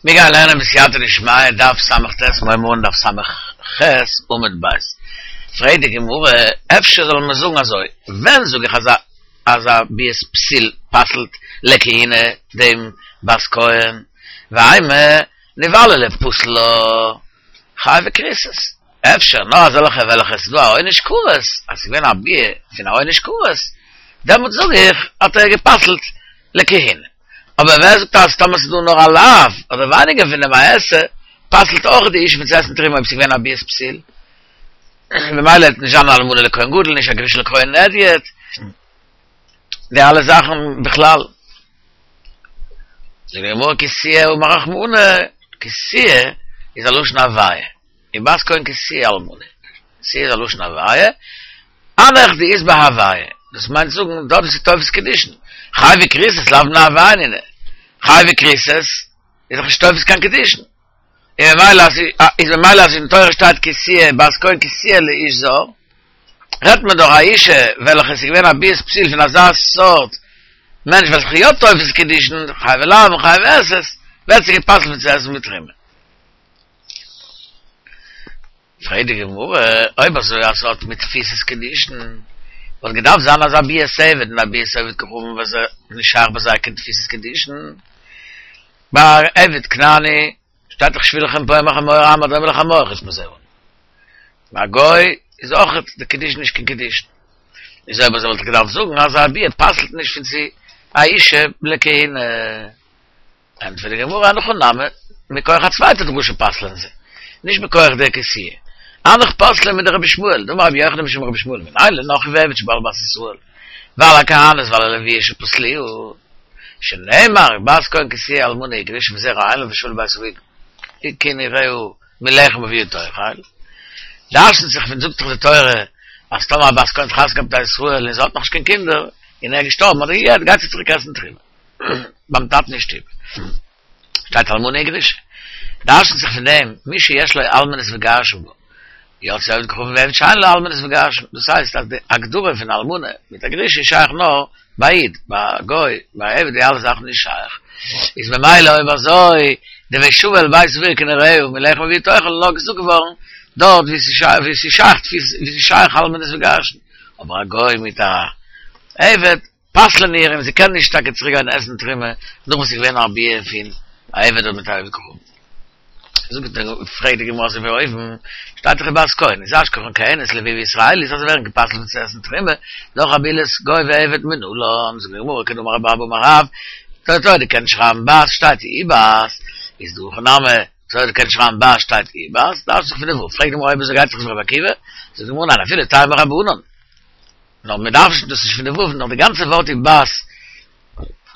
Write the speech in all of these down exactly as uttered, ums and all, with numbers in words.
מיר גייען לערנען בסייעתא דשמיא דף ס"ט מיר הייבן אן דף ס"ח עמוד ב'. פרעגט די גמרא, אפשר זאל מען זאגן אזוי, ווען זאג איך אז א אז א ביאת פסיל פסל'ט לכהונה דעם בת כהן, ואימא נבעלה לפסול לה חייבי כריתות, אפשר נאר אזעלכע וועלכע עס איז דא א עונש כרת, אז עס איז געווען א ביאה פון א עונש כרת, דעמאלט זאג איך האט ער גע'פסל'ט לכהונה. אבער ווער זאגט אז טאמער ס'איז דא נאר א לאו, אדער ווייניגער פון דעם א עשה, פסל'ט אויך די אשה פון צו עסן תרומה אויב ס'איז געווען א ביאת פסיל? ממילא וועט נישט זיין א אלמנה לכהן גדול, נישט א גרושה לכהן הדיוט, די אלע זאכן בכלל. זאגט די גמרא כי תהיה אמר רחמנא, כי תהיה איז א לשון הוויה, ובת כהן כי תהיה אלמנה, תהיה איז א לשון הוויה, הנך דאית בהו הוויה, דאס מיינט זאגן דארט וואו ס'איז תופס קידושין, חייבי כריתות לאו בני הוויה נינהו, חייבי כריתות איז דאך נישט תופס קיין קידושין, און ממילא אז איז ממילא אז אין תורה שטייט כי תהיה בת כהן כי תהיה לאיש זר, רעדט מען דאך א אישה וועלכע איז געווען א ביאת פסיל פון אזא סארט מענטש וועלכע איז יא תופס קידושין, חייבי לאוין און חייבי עשה'ס, ווערט זי גע'פסל'ט פון צו עסן בתרומה. פרעגט די גמרא, אויב אזוי אז ס'האט מיט תפיסת קידושין, וואלט געדארפט זיין אז א ביאת עבד און א ביאת עובד כוכבים וואס איז נישט שייך ביי זיי קיין תפיסת קידושין. ביי עבד כנעני שטייט דאך שבו לכם פה עם החמור עם הדומה לחמור חוץ מזה און ביי א גוי איז אויך די קידושין נישט קיין קידושין. איז אויב אזוי וואלט איך געדארפט זאגן אז א ביאה פסל'ט נישט פון צו א אישה לכהונה. ענטפערט די גמרא הנך נמי, מכח א צווייטע דרשה פסל'ען זיי, נישט מכח דער כי תהיה. הנך פוסלין מדרבי ישמעאל, דאמר רבי יוחנן משום רבי ישמעאל, מנין לנכרי ועבד שבא על בת ישראל, ועל הכהנת ועל הלוויה שפסלוה, שנאמר בת כהן כי תהיה אלמנה וגרושה וזרע אין לה ושבה אל בית אביה כנעוריה מלחם אביה תאכל, דרש'נט זיך פון זאגט דאך די תורה אז טאמער א בת כהן האט חתונה געהאט מיט א ישראל און זי האט נאכנישט קיין קינדער און ער איז געשטארבן אדער גע'גט גייט זי צוריק עסן תרומה. ביים טאטן אין שטוב שטייט אלמנה וגרושה, דרש'נט זיך פון דעם מי שיש לו אלמנות וגירושין בה, יצא עובד כוכבים ועבד שאין לו אלמנות וגירושין, דאס הייסט אז די הגדרה פון אלמנה מיט א גרושה איז שייך נאר ביי א איד, ביי א גוי, ביי א עבד די אלע זאכן נישט שייך, איז ממילא אויב אזוי די ושבה אל בית אביה כנעוריה מלחם אביה תאכל איז נאר געזאגט געווארן דארט ווי ס'איז שייך אלמנות וגירושין, אבער א גוי מיט א עבד פסל'ן איר און זי קען נישט טאקע צוריק גיין עסן תרומה נאך וואס ס'איז געווען א ביאה פון א עבד אדער מיט א עובד כוכבים. זאגט די פרעגט די גמרא אזוי ווי אויבן שטייט דאך ובת כהן איז אשכחן כהנת לויה וישראלית אז זיי ווערן גע'פסל'ט פון צו עסן תרומה נאך א בעילת גוי ועבד מנלן זאגט די גמרא כדאמר רב אבא אמר רב די תורה קען נישט שרייבן בת שטייט ובת איז דא הכי נמי תורה קען נישט שרייבן בת שטייט ובת דרש'נט זיך פון די ו' פרעגט די גמרא אויב אזוי גייט דאך עס רבי עקיבא זאגט די גמרא ניין אפילו טעמא רבנן נאר מען דארף נישט, דאס איז נישט פון די ו', נאר די גאנצע ווארט ובת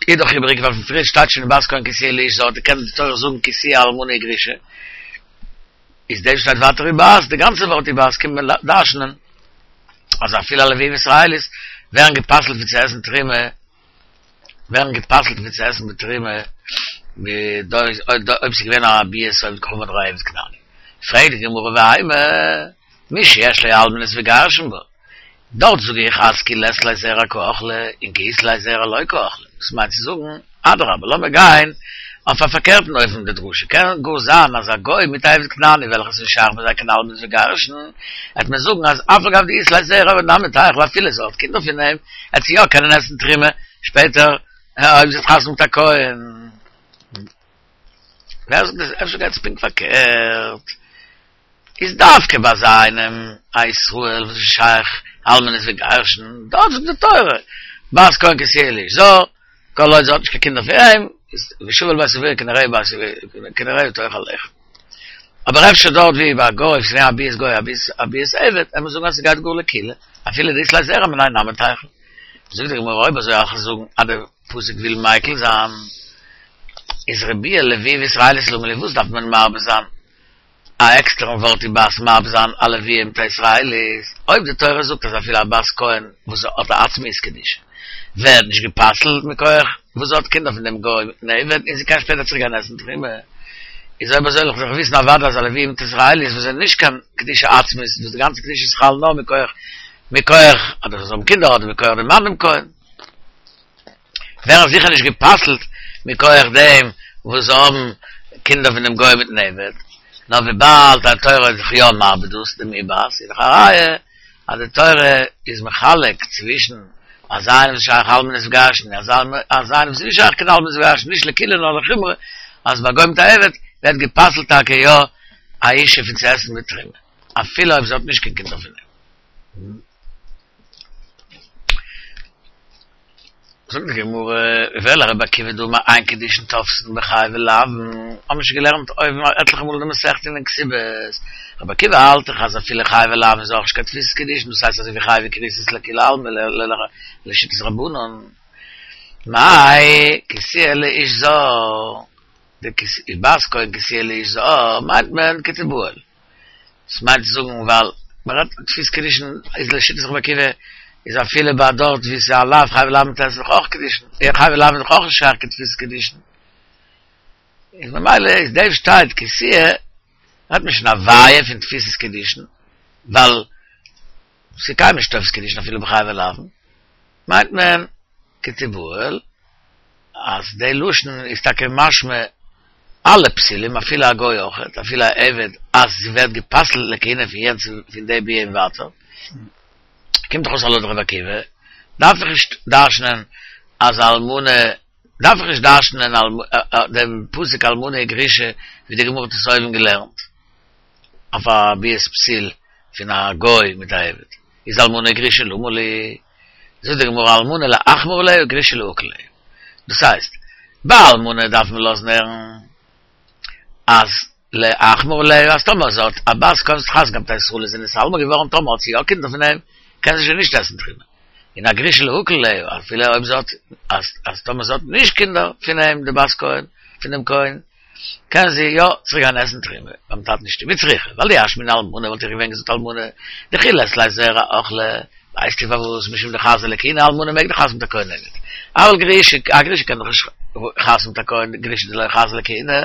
איז דאך איבעריג, ווייל פון פריער שטייט שוין בת כהן כי תהיה לאיש זר, קען די תורה זאגן כי תהיה אלמנה וגרושה, איז דעם שטייט ווייטער ובת, די גאנצע ווארט ובת קומט מען דרש'נען אז אפילו א לויה וישראלית ווערן גע'פסל'ט פון צו עסן תרומה, ווערן גע'פסל'ט פון צו עסן בתרומה, אויב ס'איז געווען א ביאת עובד כוכבים אדער א עבד כנעני. פרעגט די גמרא ואימא, מי שיש לו אלמנות וגירושין בה, דארט זאג איך אז כי לית ליה זרע קא אכלה און כי אית ליה זרע לא קא אכלה, דאס מיינט צו זאגן, אדרבה לאמיר גיין אויף א פארקערטן אופן די דרשה קען גאר זיין אז א גוי מיט א עבד כנעני וועלכע איז נישט שייך ביי זיי קיין אלמנות וגירושין, העט מען זאגן אז אף על גב דאית ליה זרע נמי תיכול אפילו זי האט קינדער פון אים, העט זי יא קענען עסן תרומה שפעטער אויב זי האט חתונה מיט א כהן. ווער זאגט דאס? אפשר גייט עס פונקט פארקערט? איז דווקא ביי אזא איינעם א ישראל וואס איז שייך אלמנות וגירושין, דארט זאגט די תורה בת כהן כי תהיה לאיש זר, כל עוד זי האט נישט קיין קינדער פון אים, איז ושבה אל בית אביה כנעוריה בית כנעוריה תאכל לחם. אבער אפשר דארט ווי ביי א גוי, וואס איז געווען א ביאת גוי א ביאת עבד, וועט מען זאגן אז ס'גייט גאר לקולא, אפילו דאית ליה זרע מיניה נמי תיכול. זאגט די גמרא אויב אזוי וועל איך זאגן אז די פסוק וויל מיקל זיין, איז רבויי לויה וישראלית למה לי וואס דארף מען מרבה זיין א עקסטערן ווארט ובת מרבה זיין א לויה מיט א ישראלית, אויב די תורה זאגט אז אפילו א בת כהן וואס האט א עצמיות קדושה ווערט נישט גע'פסל'ט מכח וואס זי האט קינדער פון דעם גוי מיטן עבד און זי קען שפעטער צוריק גיין עסן תרומה, איז אויב אזוי וועל איך דאך וויסן אוודאי אז א לויה מיט ישראלית וואס זענען נישט קיין קדושה עצמית וואס די גאנצע קדושה איז חל נאר מכח מכח אדער זיי האבן קינדער אדער מכח דעם מאן דעם כהן. ווערן זיכער נישט גע'פסל'ט מכח דעם וואס האבן קינדער פון דעם גוי מיטן עבד, נאר וויבאלד די תורה איז דאך יא מרבה דאס דעם ובת, איז דאך א ראיה אז די תורה איז מחלק צווישן אזא איינעם וואס איז שייך אלמנות וגרושין און אזא איינעם וואס איז נישט שייך קיין אלמנות וגרושין, נישט לקולא נאר לחומרא, אז ביי גוי מיט א עבד ווערט גע'פסל'ט טאקע יא א אישה פון צו עסן בתרומה, אפילו אויב זי האט נישט קיין קינדער פון אים. זאגט די גמרא, ואלא רבי עקיבא דאמר אין קידושין תופסין בחייבי לאוין, האבן מיר שוין געלערנט אויבן עטליכע מאל אין די מסכת אין כתובות, רבי עקיבא האלט דאך אז אפילו חייבי לאוין איז אויך נישט קיין תפיסת קידושין, דאס הייסט אזוי ווי חייבי כריתות לכולי עלמא לשיטת רבנן, מאי כי תהיה לאיש זר, די ובת כהן כי תהיה לאיש זר מיינט מען כתיבעל. דאס מיינט צו זאגן ווייל מען רעדט תפיסת קידושין איז לשיטת רבי עקיבא איז אפילו ביי דארט ווי ס'איז א לאו חייבי לאוין איז דאך אויך קידושין חייבי לאוין איז דאך אויך נישט שייך קיין תפיסת קידושין איז ממילא איז דעם שטייט כי תהיה רעדט מען שוין א ווייע פון תפיסת קידושין ווייל ס'איז קיינמאל נישט תופס קידושין אפילו בחייבי לאוין מיינט מען כתיבעל אז די לשון איז טאקע משמע אלע פסולים אפילו א גוי אויכעט אפילו א עבד אז זי ווערט גע'פסל'ט לכהונה פון יענץ פון די ביאה און ווייטער קומט דאך אויס אז לויט רבי עקיבא דארף איך נישט דרש'נען אז אלמנה דארף איך נישט דרש'נען דעם פסוק אלמנה וגרושה ווי די גמרא האט עס אויבן געלערנט אויף א ביאת פסול פון א גוי מיט א עבד איז אלמנה וגרושה למה לי זאגט די גמרא אלמנה לאחמור עליה וגרושה להקל עליה דאס הייסט ביי אלמנה דארף מען לאזן הערן אז לאחמור עליה אז טאמער זי האט א בת כהן וואס האט חתונה געהאט מיט א ישראל איז זי נתאלמן געווארן טאמער האט זי יא קינדער פון אים קען זי שוין נישט עסן תרומה און א גרושה להקל עליה אפילו אויב זי האט אז אז טאמער זי האט נישט קינדער פון אים די בת כהן פון דעם כהן קען זי יא צוריק גיין עסן תרומה ביים טאטן אין שטוב וצריכא, ווייל דאי אשמעינן אלמנה וואלט איך געווען געזאגט אלמנה דכי לית לה זרע אכלה, ווייסטו פארוואס משום דחזיא לכהונה אלמנה מעג דאך חתונה מיט א כהן הדיוט, אבל גרושה א גרושה קען דאך נישט חתונה מיט א כהן גרושה דלא חזיא לכהונה,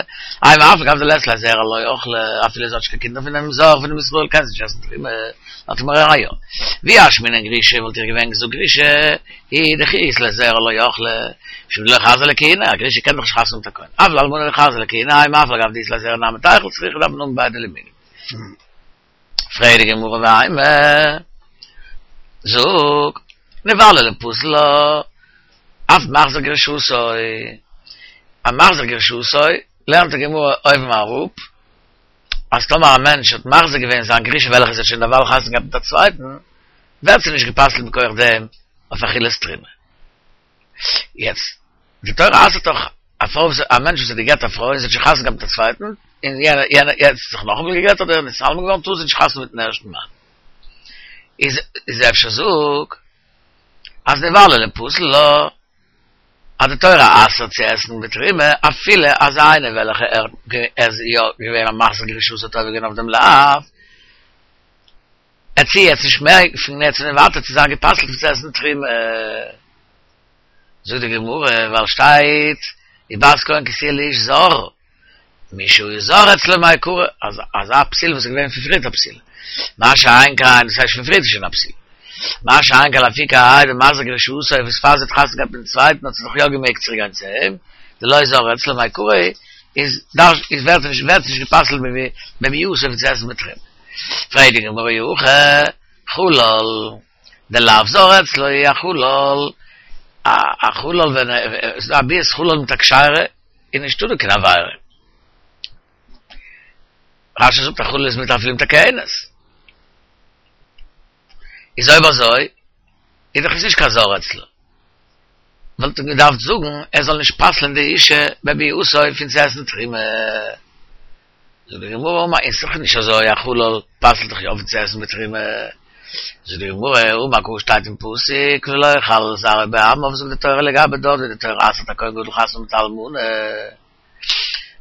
אימא אף על גב דלית לה זרע לא אכלה, אפילו זי האט נישט קיין קינדער פונעם זר פונעם ישראל קען זי נישט עסן תרומה, האט מיר א ראיה. ואי אשמעינן גרושה וואלט איך געווען געזאגט גרושה היא דכי אית לה זרע לא אכלה, משום דלא חזיא לכהונה, א גרושה קען דאך נישט חתונה מיט א כהן, אבל אלמנה דחזיא לכהונה, אימא אף על גב דאית לה זרע נמי תיכול צריכא דארף מען האבן ביידע לימודים. פרעגט די גמרא ואימא, זאג, נבעלה ליפסל לה, אף מחזיר גרושתו, א מחזיר גרושתו, לערנט די גמרא אויבן אראפ, אז טאמער א מענטש האט מחזיר געווען זיין גרושה וועלכע זי האט שוין דערווייל חתונה געהאט מיט א צווייטן, ווערט זי נישט גע'פסל'ט מכח דעם אויף אכילת תרומה. יעצט, די תורה אסר'ט דאך א פרוי וואס א מענטש וואס האט גע'גט א פרוי און זי האט שוין חתונה געהאט מיט א צווייטן, און יענער יענער יעצט זיך נאכאמאל גע'גט אדער נתאלמן געווארן טאר זי נישט חתונה מיטן ערשטן מאן. איז איז אפשר זאג אז נבעלה ליפסל לה אז די תורה אסר'ט צו עסן בתרומה אפילו אזא איינער וועלכע ער איז יא געווען א מחזיר גרושתו האט עובר געווען אויף דעם לאו, עט זי יעצט נישט מער פון יעצט און ווייטער צו זיין גע'פסל'ט פון צו עסן תרומה. זאגט די גמרא, ווייל שטייט ובת כהן כי תהיה לאיש זר, מי שהיה זר אצלו מעיקרא, אז אזא פסול וואס איז געווען פון פריערט א פסול, מה שאין כן, דאס הייסט פון פריערט איז שוין א פסול, מה שאין כן לאפוקי האי דמחזיר גרושתו וואס פאר זי האט חתונה געהאט מיטן צווייטן האט זי דאך יא געמעגט צוריק גיין צו אים, דלא זר אצלו מעיקרא איז איז ווערט נישט ווערט נישט גע'פסל'ט בביאתו פון צו עסן בתרומה. פרעגט די גמרא אי הכי חלל דלאו זר אצלו א חלל א חלל ווען עס איז דא א ביאת חלל מיט א כשרה איז נישטא דא קיין עבירה. רשי זאגט א חלל איז מותר אפילו מיט א כהנת. איז אויב אזוי איז דאך עס נישט קיין זר אצלו. וואלט מען געדארפט זאגן ער זאל נישט פסל'ען די אישה בביאתו פון צו עסן תרומה. זאגט די גמרא אמר איז דאך נישט אזוי א חלל פסל'ט דאך יא פון צו עסן בתרומה. זאגט די גמרא אמר קרא שטייט אין פסוק ולא יכלל זרעו בעמיו זאגט די תורה לגבי דארט ווי די תורה אסר'ט א כהן גדול חתונה מיט א אלמנה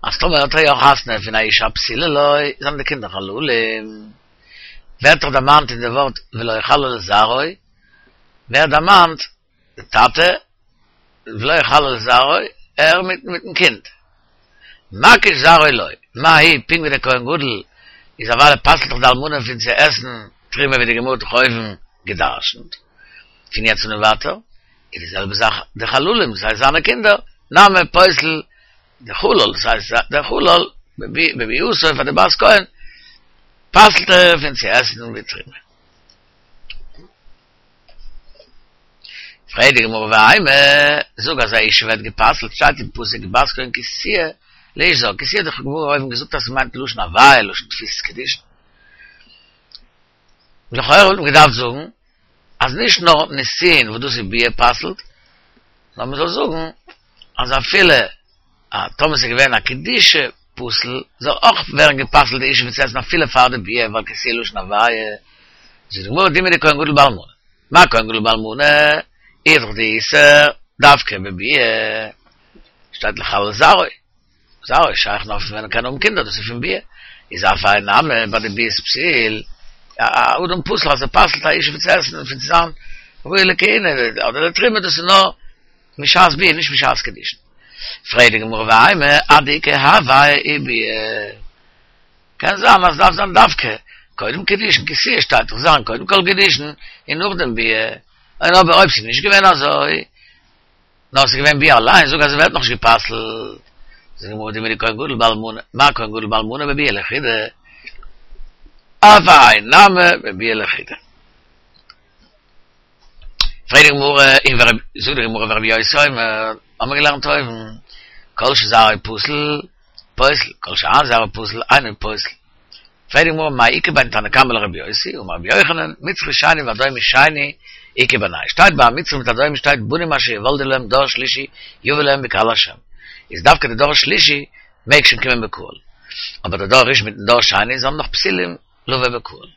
אז טאמער האט ער יא חתונה פון א אישה הפסולה לו זענען די קינדער חללים ווערט דאך דערמאנט אין די ווארט ולא יכלל זרעו ווערט דערמאנט די טאטע ולא יכלל זרעו, ער מיט מיטן קינד. מקיש זרעו לו, מה הוא, פונקט ווי דער כהן גדול איז אוודאי פסל'ט דאך די אלמנה פון צו עסן תרומה ווי די גמרא האט דאך אויבן גע'דרש'נט, פון יעצט און ווייטער איז די זעלבע זאך די חללים, דאס הייסט זיינע קינדער, נמי פוסל דער חולל, דאס הייסט דער חולל, בביאותו פאר די בת כהן, פסל'ט ער פון צו עסן בתרומה. פרעגט די גמרא ואימא, זאג אז א אשה ווערט גע'פסל'ט, שטייט אין פסוק בת כהן כי תהיה לאיש זר, כי תהיה האט די גמרא אויבן געזאגט אז ס'מיינט לשון הוויה, לשון תפיסת קידושין. לכאורה וואלט מען געדארפט זאגן אז נישט נאר נישואין וואס דאס איז ביאה פסל'ט, נאר מ'זאל זאגן אז אפילו א טאמער ס'איז געווען א קידושי פסול זאל אויך ווערן גע'פסל'ט די אשה פון צו עסן אפילו פאר די ביאה ווייל כי תהיה לשון הוויה. זאגט די גמרא דומיא דכהן גדול באלמנה, מה כהן גדול באלמנה איז דאך די איסור דווקא בביאה, שטייט לחלל זרעו, זרעו איז שייך נאר פון ווען ער קען האבן קינדער דאס איז פון ביאה, איז אף האי נמי ביי די ביאת פסול, א אדם פסול אז ער פסל'ט א אשה פון צו עסן און פון צו זיין ראוי לכהונה אדער לתרומה דאס איז נאר משעת ביאה נישט משעת קידושין. פרעגט די גמרא ואימא עד דאיכא הוויה וביאה. קען זיין אז ס'דארף זיין דווקא קודם קידושין כי תהיה שטייט דאך זיין קודם כל קידושין און נאכדעם ביאה, און אבער אויב ס'איז נישט געווען אזוי נאר ס'איז געווען ביאה אליין זאג אז ס'ווערט נאכנישט גע'פסל'ט. זאגט די גמרא דומיא דכהן גדול באלמנה, מה כהן גדול באלמנה בביאה לחודה, אף האי נמי בביאה לחודה. פרעגט די גמרא, און ווער, זאגט די גמרא ורבי יוסי אומר, האבן מיר געלערנט אויבן, כל שזרעו פסול, פוסל, כל שאין זרעו פסול, אינו פוסל. פרעגט די גמרא, מאי איכא בין תנא קמא לרבי יוסי, אמר רבי יוחנן, מצרי שני ואדומי שני, איכא בינייהו. שטייט ביי א מצרי מיט אדומי שטייט בנים אשר יולדו להם דור שלישי יבא להם בקהל השם. איז דווקא די דור שלישי מעג שוין קומען בקהל. אבער די דור ראשון מיטן דור שני זענען נאך פסולים לבוא בקהל.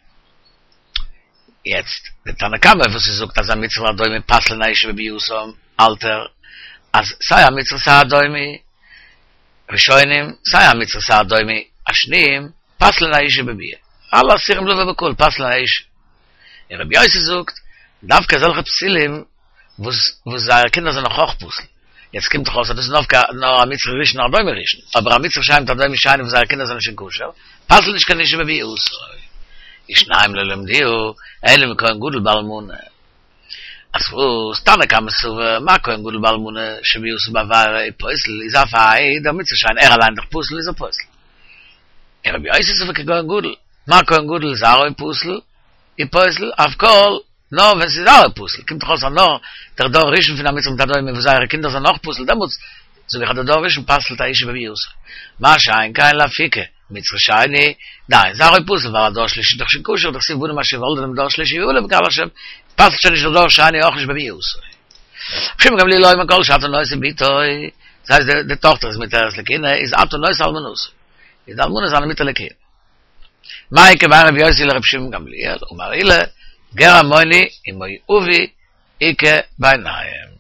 יעצט, די תנא קמא וואס ער זאגט אז א מצרי ואדומי פסל'ן א אשה בביאתם, האלט ער אז סיי א מצרי סיי א אדומי ראשונים, סיי א מצרי סיי א אדומי השניים, פסל'ן א אשה בביאה. אלע אסורים לבוא בקהל פסל'ן א אשה. און רבי יוסי זאגט, דווקא אזעלכע פסולים וואס וואס זייערע קינדער זענען נאך אויך פסול. יעצט קומט דאך אויס אז דאס איז דווקא נאר א מצרי ראשון און אדומי ראשון, אבער א מצרי שני מיט אדומי שני וואס זייערע קינדער זענען שוין כשר, פסל'ט נישט קיין אשה בביאתו. ושניים לא למדוה, אלא מכהן גדול באלמנה. אז וואס, תנא קמא סבר, מה כהן גדול באלמנה שביאתה בעבירה הוא פוסל, איז אף האי דער מצרי שני ער אליין דאך פסול איז ער פוסל. און רבי יוסי סבר ככהן גדול, מה כהן גדול זרעו פסול, הוא פוסל, אף כל נאר ווען ס'איז זרעו פסול, קומט דאך אויס אז נאר דער דור ראשון פון א מצרי מיט אדומי וואס זייערע קינדער זענען אויך פסול, דעמאלטס זאג איך אז דער דור ראשון פסל'ט א אשה בביאתה. מה שאין כן לאפוקי מצרי שני, דאין זרעו פסול, ווייל א דור שלישי איז דאך שוין כשר, דכתיב בנים אשר יולדו להם דור שלישי יבאו להם בקהל השם, פסל'ט שוין נישט דער דור שני אויך נישט בביאתו. רבי שמעון גמליאל אומר כל שאתה נושא בתו, דאס הייסט די טאכטער איז מותרת לכהונה, איז אתה נושא אלמנתו, איז די אלמנה זיינע מותר לכהונה. מאי איכא בין רבי יוסי לרבי שמעון גמליאל, אמר עולא, גר עמוני ומואבי איכא ביניהם.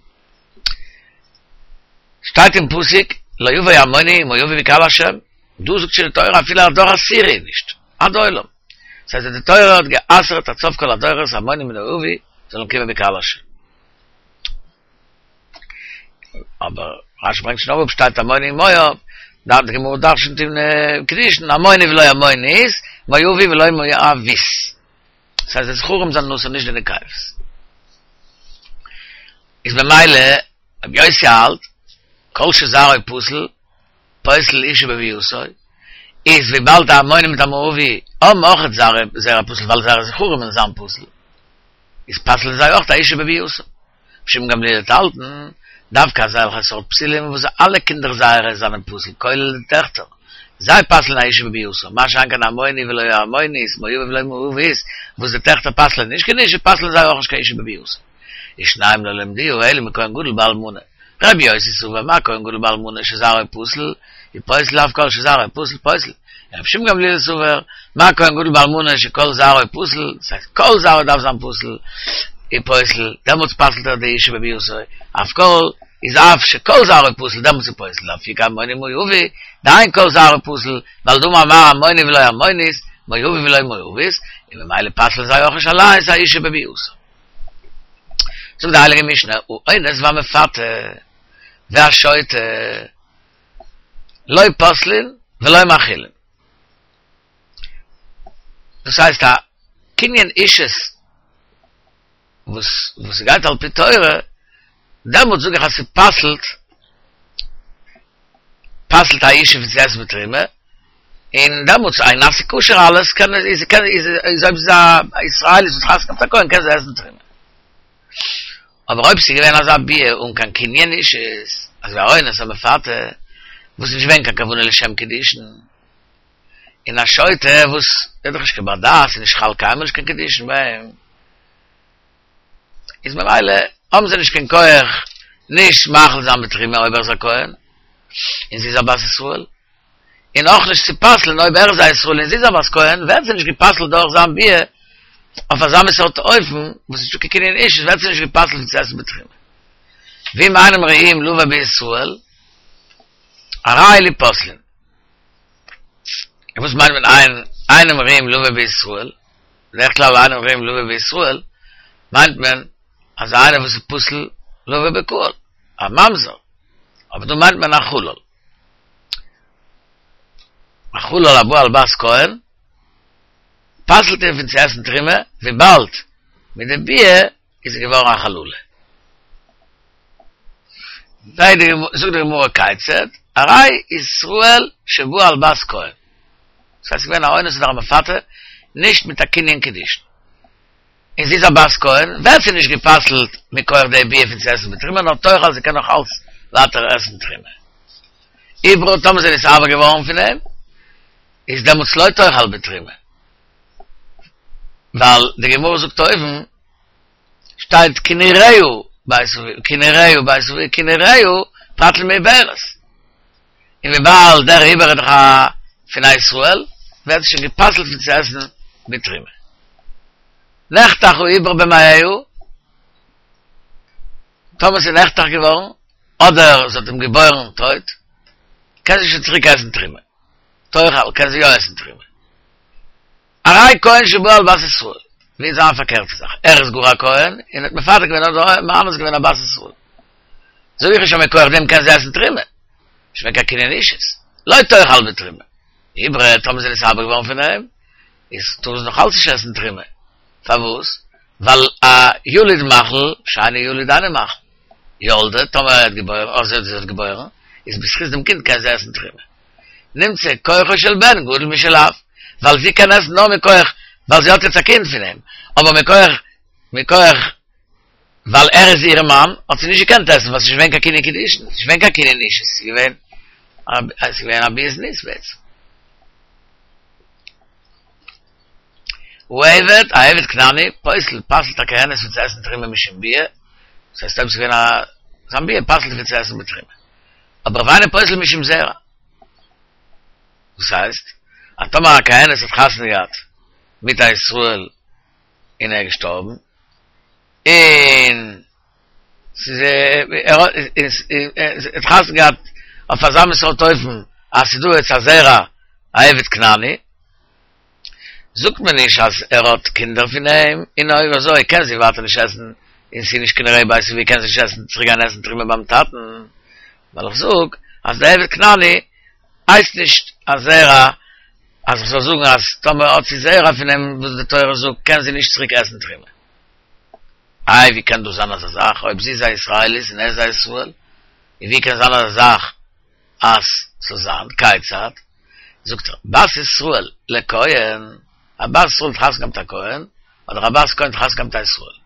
שטייט אין פסוק, לא יבא עמוני ומואבי בקהל השם, דא זאגט שוין די תורה אפילו א דור עשירי נישט, עד עולם. דאס הייסט אז די תורה האט גע'אסר'ט עד סוף כל הדורות עמוני ומואבי זאלן קומען בקהל השם. אבער רשי ברענגט שוין אראפ שטייט עמוני ומואב, דארט די גמרא דרשנ'ט אין קידושין עמוני ולא עמונית, מואבי ולא מואבית. דאס הייסט די זכרים זענען אסור נישט די נקבות. איז במילא רבי יוסי האלט כל שזרעו פסול פוסל אשה בביאתו, איז וויבאלד א עמוני מיט א מואבי האבן אויכעט זרע פסול ווייל זייערע זכרים וועלן זיין פסול, איז פסל'ן זיי אויך א אשה בביאתו. ר' שמעון גמליאל וועט האלטן, דווקא אזעלכע סארט פסולים וואס אלע קינדער זייערע זענען פסול כולל די טעכטער, זיי פסל'ן א אשה בביאתו, מה שאין כן עמוני ולא עמונית, מואבי ולא מואבית, וואס די טעכטער פסל'ן נישט קיין אשה, פסל'ן זיי אויך נישט קיין אשה בביאתו. ושניים לא למדוה אלא מכהן גדול באלמנה. רבי יוסי סבר מה כהן גדול באלמנה שזרעו פסול, הוא פוסל אף כל שזרעו פסול פוסל. רבי שמעון גמליאל סבר, מה כהן גדול באלמנה שכל זרעו פסול, דאס הייסט כל זרעו דארף זיין פסול, הוא פוסל, דעמאלטס פסל'ט ער די אשה בביאתו, אף כל, איז אף שכל זרעו פסול דעמאלטס איז פוסל, לאפוקי עמוני ומואבי, דאין כל זרעו פסול, ווייל דאמר מר עמוני ולא עמונית, מואבי ולא מואבית, און ממילא פסל'ן זיי אויך נישט אליינס א אשה בביאתו. זאגט די הייליגע משנה, האונס והמפתה והשוטה, לא פוסלין ולא מאכילין. דאס הייסט א קנין אישות וואס וואס גייט על פי תורה, דעמאלט זאג איך אז ס'פסל'ט פסל'ט א אשה פון צו עסן בתרומה, און דעמאלטס איז נעשה כשר אלעס, קען איז קען איז איז אויב זי איז א ישראלית וואס חתונה געהאט א כהן קען זי עסן תרומה. אבער אויב ס'איז געווען אזא ביאה אן קיין קנין אישות, אזוי ווי א אונס א מפתה, וואס איז נישט געווען קיין כוונה לשם קידושין, און א שוטה וואס איז דאך נישט קיין בר דעת, איז נישט חל קיינמאל נישט קיין קידושין ביי אים, איז ממילא האבן זיי נישט קיין כח נישט מאכיל זיין בתרומה אויב ער איז א כהן און זי איז א בת ישראל, און אויך נישט צו פסל'ן אויב ער איז א ישראל און זי איז א בת כהן, ווערט זי נישט גע'פסל'ט דורך זיין ביאה אויף אזא מין סארט אופן וואס איז נישטא קיין קנין אישות ווערט זי נישט גע'פסל'ט צו עסן בתרומה. ואם אינם ראויים לבא בישראל, הרי אלו פוסלין. און וואס מיינט מען אין אינם ראויים לבא בישראל? בדרך כלל אינם ראויים לבא בישראל מיינט מען אז איינער וואס איז פסול לבא בקהל, א ממזר, אבער דא מיינט מען א חלל. א חלל הבא על בת כהן פסל'ט אים פון צו עסן תרומה וויבאלד מיט די ביאה איז זי געווארן א חללה. זאגט די גמרא כיצד, הרי ישראל שבא על בת כהן, דאס הייסט ס'איז געווען א אונס אדער א מפתה, נישט מיט א קנין קידושין, און זי איז א בת כהן, ווערט זי נישט גע'פסל'ט מכח די ביאה פון צו עסן בתרומה, נאר תאכל זי קען נאך אלץ ווייטער עסן תרומה. עוברה טאמער זי איז נתעבר געווארן פון אים, איז דעמאלטס לא תאכל בתרומה, ווייל די גמרא זאגט אויבן, שטייט כי נראה בית אביה, כי נראה בית אביה, כי נראה פרט למעוברת. און וויבאלד דער עובר איז דאך א פון א ישראל, ווערט עס שוין גע'פסל'ט פון צו עסן בתרומה. נחתך העובר במעיה, טאמער ס'איז נחתך געווארן, אדער זי האט אים געבוירן טויט, קען זי שוין צוריק עסן תרומה. תאכל, קען זי יא עסן תרומה. הרי כהן שבא על בת ישראל, ווי איז זיין פארקערטע זאך, ער איז גאר א כהן, און האט מפתה געווען אדער מאנס געווען א בת ישראל. זאג איך נישט אז מכח דעם קען זי עסן תרומה, נישט געווען קיין קנין אישות, לא תאכל בתרומה. עוברה, טאמער זי איז נתעבר געווארן פון אים, איז טאר זי נאך אלץ נישט עסן תרומה. פארוואס? ווייל א ילוד מאכיל, שאינו ילוד אינו מאכיל. ילדה, טאמער ער האט געבוירן, אדער זי האט געבוירן, איז בזכות דעם קינד קען זי עסן תרומה. נמצא כוחו של בן גדול משל אב, ווייל זי קען עסן נאר מכח ווייל זי האט יעצט א קינד פון אים, אבער מכח מכח ווייל ער איז איר מאן האט זי נישט געקענט עסן ווייל ס'איז נישט געווען קיין קנין קידושין, ס'איז נישט געווען קיין קנין אישות, ס'איז געווען א ס'איז געווען א ביאת זנות בעצם. העבד, א עבד כנעני, פוסל, פסל'ט א כהנת פון צו עסן תרומה משום ביאה, דאס הייסט אויב ס'איז געווען א זיין ביאה פסל'ט פון צו עסן בתרומה. אבער ואינו פוסל משום זרע. דאס הייסט, אז טאמער א כהנת האט חתונה געהאט מיט א ישראל און ער איז געשטארבן, און ס'איז ער האט חתונה געהאט אויף אזא מין סארט אופן אז ס'איז דא יעצט א זרע א עבד כנעני, זאגט מען נישט אז ער האט קינדער פון אים, און אויב אזוי קען זי ווייטער נישט עסן, און ס'איז נישט כנראה בית אביה קען זי נישט עסן צוריק גיין עסן תרומה ביים טאטן, ווייל איך זאג אז די עבד כנעני הייסט נישט א זרע אז איך זאל זאגן אז טאמער האט זי זרע פון אים וואס די תורה זאגט קען זי נישט צוריק עסן תרומה. איי ווי קען דאס זיין אזא זאך אויב זי איז א ישראלית און ער איז א ישראל, און ווי קען זיין אזא זאך אז ס'זאל זיין כיצד? זאגט ער, בת ישראל לכהן, א בת ישראל האט חתונה געהאט מיט א כהן, אדער א בת כהן האט חתונה געהאט מיט א ישראל,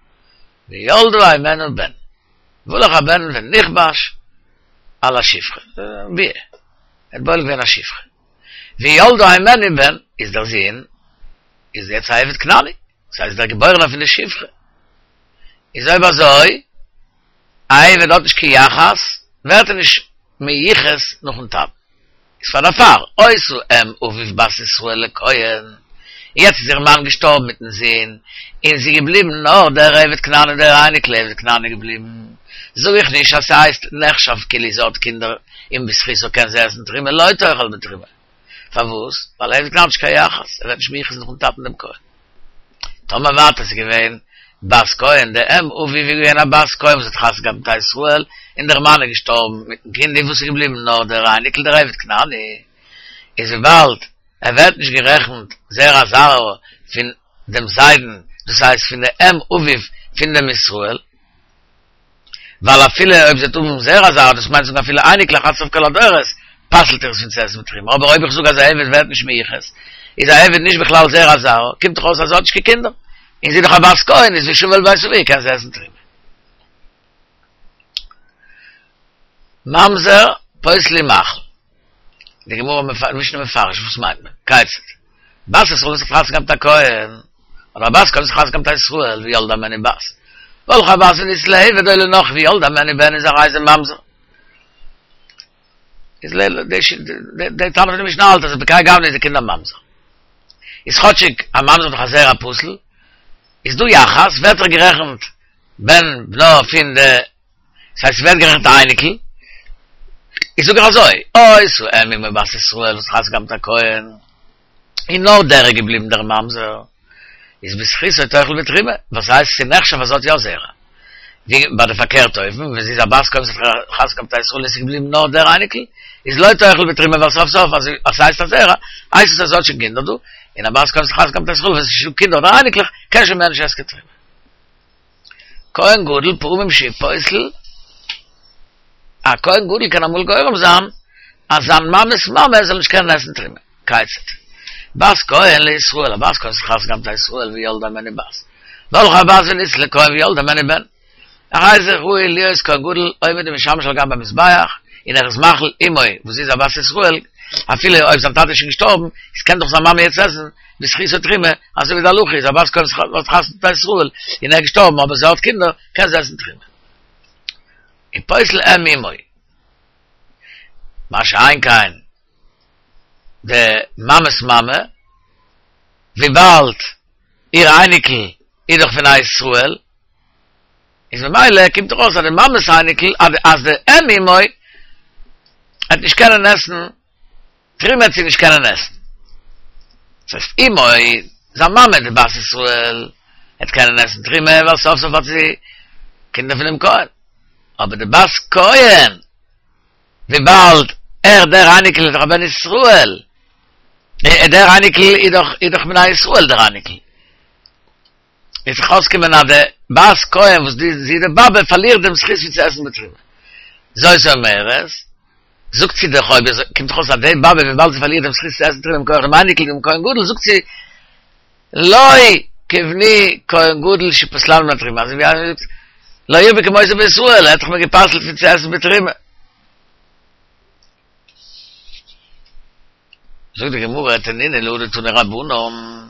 וילדה הימנו בן, והלך הבן ונכבש על השפחה, ביאה, ער האט בועל געווען א שפחה, וילדה הימנו בן, איז דער זון, איז יעצט א עבד כנעני, דאס הייסט דער געבוירענער פון די שפחה, איז אויב אזוי, א עבד האט נישט קיין יחס, ווערט ער נישט מיוחס נאכן טאטן. איז פאר דערפאר, היתה אם אביו בת ישראל לכהן, און יעצט איז איר מאן געשטארבן מיטן זון, און זי איז געבליבן נאר דער עבד כנעני דער אייניקל עבד כנעני געבליבן, זאג איך נישט אז ס'הייסט נחשב כאילו זי האט קינדער און בזכותו קען זי עסן תרומה לא תאכל בתרומה. פארוואס? ווייל עבד כנעני האט נישט קיין יחס, ער ווערט נישט מיוחס נאכן טאטן דעם כהן. טאמער ווייטער ס'איז געווען בת כהן, די אם אביו איז געווען א בת כהן וואס האט חתונה געהאט מיט א ישראל, און דער מאן איז געשטארבן מיטן קינד, און וואס איז געבליבן נאר דער אייניקל דער עבד כנעני, איז וויבאלד ער ווערט נישט גערעכנט זרע זרעו פון דעם זיידן, דאס הייסט פון די אם אביו פון דעם ישראל, ווייל אפילו אויב זי וועט האבן זרע זרע, דאס מיינט זאגן אפילו אייניקלעך עד סוף כל הדורות, פסל'ט ער עס פון צו עסן בתרומה, אבער אויב איך זאג אז א עבד ווערט נישט מיוחס, איז א עבד נישט בכלל זרע זרעו, קומט דאך אויס אז זי האט נישט קיין קינדער, און זי איז דאך א בת כהן, איז ושבה אל בית אביה קען זי עסן תרומה. ממזר פוסל ומאכיל. די גמרא משנה מפרש וואס מיינט מען? כיצד? בת ישראל וואס האט חתונה געהאט מיט א כהן, אדער א בת כהן וואס האט חתונה געהאט מיט א ישראל וילדה הימנו בת, והלכה הבת ונישאת לעבד או לנכרי וילדה הימנו בן איז הרי זה ממזר. איז די תנא פון די משנה האלט אז בכהאי גוונא איז די קינד א ממזר. איז כאטשיג א ממזר איז דאך א זרע פסול, איז דא יחס, ווערט ער גערעכנט בן בנו פון די, ס'הייסט ס'ווערט גערעכנט א אייניקל, איז זאג איך אזוי, אותה אם אמו בת ישראל וואס האט חתונה געהאט מיט א כהן, און נאר דער איז געבליבן דער ממזר, איז בזכותו תאכל בתרומה, וואס הייסט ס'איז נחשב אז זי האט יא זרע. ווי ביי די פארקערטע אופן, ווען זי איז א בת כהן וואס האט חתונה געהאט מיט א ישראל און ס'איז געבליבן נאר דער אייניקל, איז לא תאכל בתרומה ווייל סוף סוף אז ס'הייסט א זרע, הייסט עס אז זי האט שוין קינדער דא, און א בת כהן וואס האט חתונה געהאט מיט א ישראל ווען ס'איז נישטא קינדער אדער אייניקלעך, קען שוין מער נישט עסן קיין תרומה. כהן גדול פעמים שהוא פוסל, א כהן גדול קען אמאל גורם זיין אז זיין מאמע'ס מאמע זאל נישט קענען עסן תרומה. כיצד? בת כהן לישראל, א בת כהן וואס האט חתונה געהאט מיט א ישראל וילדה הימנו בת, והלכה הבת ונישאת לכהן וילדה הימנו בן, הרי זה ראוי להיות כהן גדול עומד ומשמש על גבי המזבח, און ער איז מאכיל אמו וואס זי איז א בת ישראל, אפילו אויב זיין טאטע איז שוין געשטארבן, איז קען דאך זיין מאמע יעצט עסן בזכותו תרומה, אזוי ווי די הלכה איז א בת כהן וואס האט חתונה מיט א ישראל און ער איז געשטארבן אבער זי האט קינדער, קען זי עסן תרומה. און פוסל אם אמו. מה שאין כן די מאמע'ס מאמע, וויבאלד איר אייניקל איז דאך פון א ישראל, איז ממילא קומט דאך אויס אז די מאמע'ס אייניקל, אז די אם אמו וועט נישט קענען עסן תרומה וועט זי נישט קענען עסן. דאס הייסט אמו, זיין מאמע די בת ישראל, וועט קענען עסן תרומה ווייל סוף סוף האט זי קינדער פונעם כהן. אבער די בת כהן, וויבאלד ער דער אייניקל איז דאך א בן ישראל, דער אייניקל איז דאך איז דאך מן הישראל דער אייניקל, וועט זיך אויסקומען אז די בת כהן וואס די זי איז די באבע פארלירט דעם זכות פון צו עסן בתרומה. זאת אומרת, זאגט זי דאך אויב אזוי קומט דאך אויס אז די באבע וויבאלד זי פארלירט דעם זכות צו עסן תרומה מכח דעם אייניקל דעם כהן גדול זאגט זי לא כבני כהן גדול שפסלני מן התרומה אזוי ווי איינער זאגט לא ירבה כמותו בישראל ער האט דאך מיר גע'פסל'ט פון צו עסן בתרומה. זאגט די גמרא תנינא להא דתנו רבנן,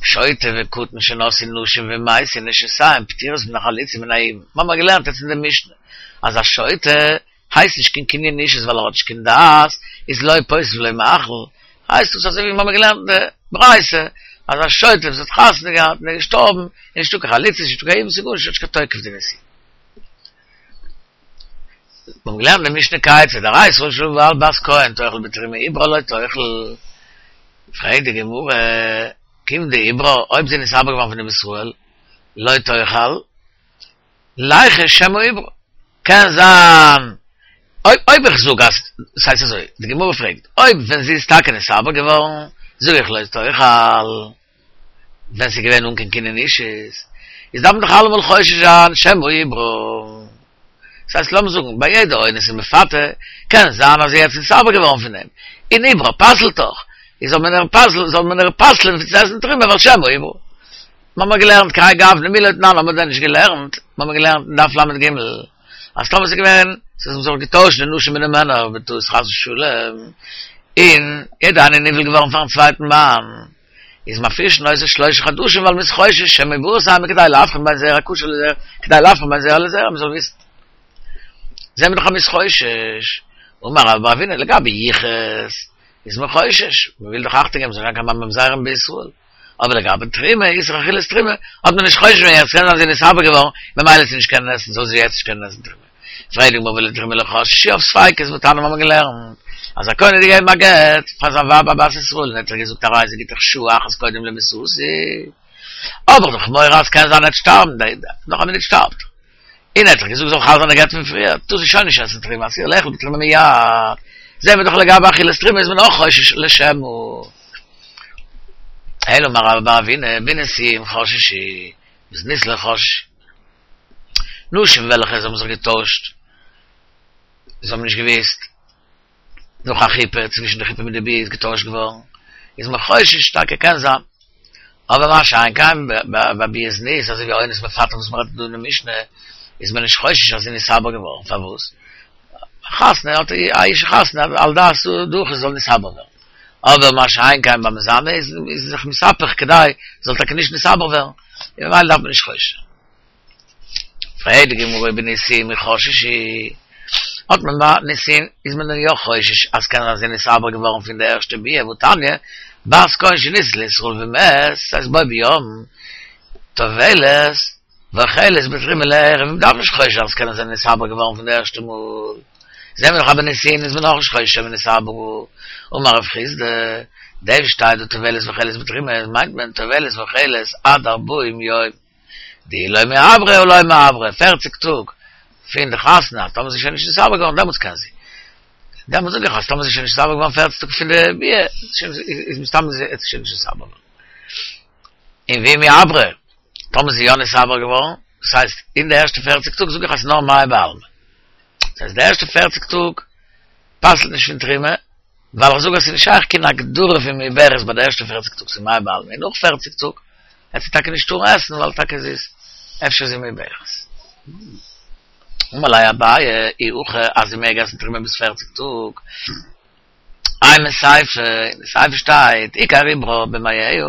שוטה וקטן שנשאו נשים ומתו נשותיהן פטורות מן החליצה ומן היבום, מיר האבן געלערנט יעצט אין די משנה אז א שוטה הייסט נישט קיין קנין אישות ווייל ער האט נישט קיין דעת, איז לא פוסל ולא מאכיל, הייסט דאס אזוי ווי מיר האבן געלערנט אין די ברייתא אז א שוטה וואס האט חתונה געהאט און איז געשטארבן איז נישטא קיין חליצה נישטא קיין יבום ס'גארנישט האט נישט קיין תוקף די נישואין. מיר האבן געלערנט אין משנה כיצד, הרי ישראל שבא על בת כהן תאכל בתרומה עוברה לא תאכל, פרעגט די גמרא, כיון דעוברה, אויב זי איז נתעבר געווארן פון דעם ישראל, לא תאכל, ליחוש שמא עוברה, קען זיין, אויב אויב איך זאג אז, ס'הייסט אזוי, די גמרא פרעגט, אויב ווען זי איז טאקע נתעבר געווארן, זאג איך לא תאכל, ווען ס'איז געווען אן קיין קנין אישות, איז דארף מען דאך אלעמאל חושש זיין שמא עוברה. דאס הייסט לאמיר זאגן ביי יעדע אונס און מפתה, קען זיין אז זי איז יעצט נתעבר געווארן פון אים, און עוברה פסל'ט דאך, איז זאל מען איר פסל'ן, זאל מען איר פסל'ן פון צו עסן תרומה ווייל שמא עוברה. מ'האמער געלערנט כהאי גוונא מי לא תנן האמער דען נישט געלערנט? מ'האמער געלערנט אין דף ל"ג אז טאמער ס'איז געווען ס'איז זיך געטוישט די נשים מיט די מענער בטעות חס ושלום, און יעדע איינע איז נבעל געווארן פארן צווייטן מאן, איז מפרישין אותו שלושה חדשים ווייל מ'איז חושש שמא מעוברות הן כדי להבחין בין זרע כשר לזרע כדי להבחין בין זרע לזרע מ'זאל וויסן. זעהן מיר דאך אז מ'איז חושש. אמר רבה בר אבינא לגבי יחוס איז מען חושש, מ'וויל דאך אכטונג געבן ס'זאל נישט זיין קיין ממזרים בישראל. אבער לגבי תרומה, איסור אכילת תרומה, האט מען נישט חושש געווען יעצט קען זיין זי איז נתעבר געווארן, ממילא זי נישט קענען עסן זאל זי יעצט נישט קענען עסן תרומה. פרעגט די גמרא ולתרומה לא חששו אויף ספיקות והתניא מיר האבן געלערנט אז א כהן האט געגעבן א גט פאר זיין ווייב א בת ישראל און ער האט איר געזאגט הרי זה גיטך שעה אחת קודם למיתתי האב איך דאך מורא אז קען זיין ער וועט שטארבן נאך א מינוט שטארבט ער און ער האט דאך געזאגט זאל חל זיין די גט פון פריער טאר זי שוין נישט עסן תרומה אסורה לאכול בתרומה מיד זעהן מיר דאך לגבי אכילת תרומה איז מען אויך חושש לשמא אלא אמר רבה בר אבינא בנישואין חששו בזנות לא חששו נשים וועלכע זיי האבן זיך געטוישט, זיי האבן נישט געוואוסט נאך א חופה, צווישן די חופה מיט די ביאה איז געטוישט געווארן, איז מען חושש טאקע קען זיין. אבער מה שאין כן ביי ביאת זנות, אזוי ווי אונס מפתה וואס מ'רעדט דא אין די משנה, איז מען נישט חושש אז זי איז נתעבר געווארן, פארוואס? חתונה האט א אישה חתונה על דעת דורך זאל נתעבר ווערן. אבער מה שאין כן ביי מזנה איז איז זיך מתהפך כדי זאל טאקע נישט נתעבר ווערן, און ממילא דארף מען נישט חושש זיין. פרעגט די גמרא ובנישואין מי חששי, האט מען ביי נישואין איז מען דען יא חושש אז קען זיין זי איז נתעבר געווארן פון די ערשטע ביאה והתניא, בת כהן שנישאת לישראל ומת, ס'הייסט בו ביום, טובלת, ואוכלת בתרומה לערב, מען דארף נישט חושש זיין אז קען זיין נתעבר געווארן פון די ערשטע מאל, זעהן מיר דאך אז ביי נישואין איז מען אויך נישט חושש שמא נתעברה, אמר רב חסדא, דאס שטייט דא טובלת ואוכלת בתרומה מיינט מען טובלת ואוכלת עד ארבעים יום, דאי לא מיעברא הא לא מיעברא, פערציג טאג פון די חתונה, טאמער זי איז שוין נישט נתעבר געווארן דעמאלטס קען זי. דעמאלטס זאג איך אז טאמער זי איז שוין נישט נתעבר געווארן פערציג טאג פון די ביאה, איז מסתם זי איז שוין נישט נתעבר געווארן. און ואי מיעברא, טאמער זי איז יא נתעבר געווארן, דאס הייסט אין די ערשטע פערציג טאג זאג איך אז ס'איז נאר מיא בעלמא. דאס הייסט די ערשטע פערציג טאג פסל'ט נישט פון תרומה, ווייל איך זאג אז ס'איז נישט שייך קיין הגדרה פון מעוברת ביי די ערשטע פערציג טאג, ס'איז מיא בעלמא, און נאך פערציג טאג וועט זי טאקע נישט טארן עסן ווייל טאקע זי איז אפשר איז זי מעוברת. אמר ליה אביי, אי הכי אז זי מעג עסן תרומה ביז פערציג טאג, אימא סיפא, אין די סיפא שטייט, עיקר עוברה במעיה,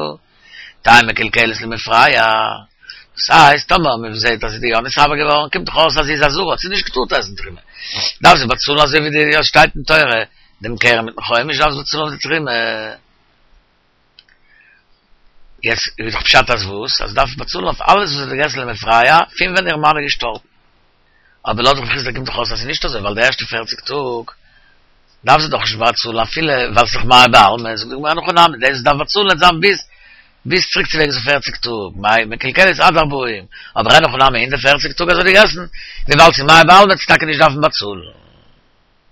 תהא מקולקלת למפרע, דאס הייסט טאמער מען זעט אז זי איז יא נתעבר געווארן, קומט דאך אויס אז זי איז א זרה, האט זי נישט געטארט עסן תרומה, דארף זי באצאלן אזוי ווי די שטייט אין תורה, דעם קרן מיטן חומש דארף זי באצאלן אויף די תרומה. יעצט איז דאך פשט אז וואס? אז זי דארף באצאלן אויף אלעס וואס זי האט געגעסן למפרע פון ווען איר מאן איז געשטארבן. אבער לויט רב חסדא קומט דאך אויס אז ס'איז נישט אזוי ווייל די ערשטע פערציג טאג דארף זי דאך נישט באצאלן אפילו ווייל ס'איז דאך מיא בעלמא, זאגט די גמרא אין הכי נמי דאס דארף באצאלן וועט זיין ביז ביז צוריק צו וועגס אויף פערציג טאג, מאי מקולקלת עד ארבעים, אבער אין הכי נמי אין די פערציג טאג אז זי האט געגעסן, וויבאלד ס'איז מיא בעלמא וועט זי טאקע נישט דארפן באצאלן.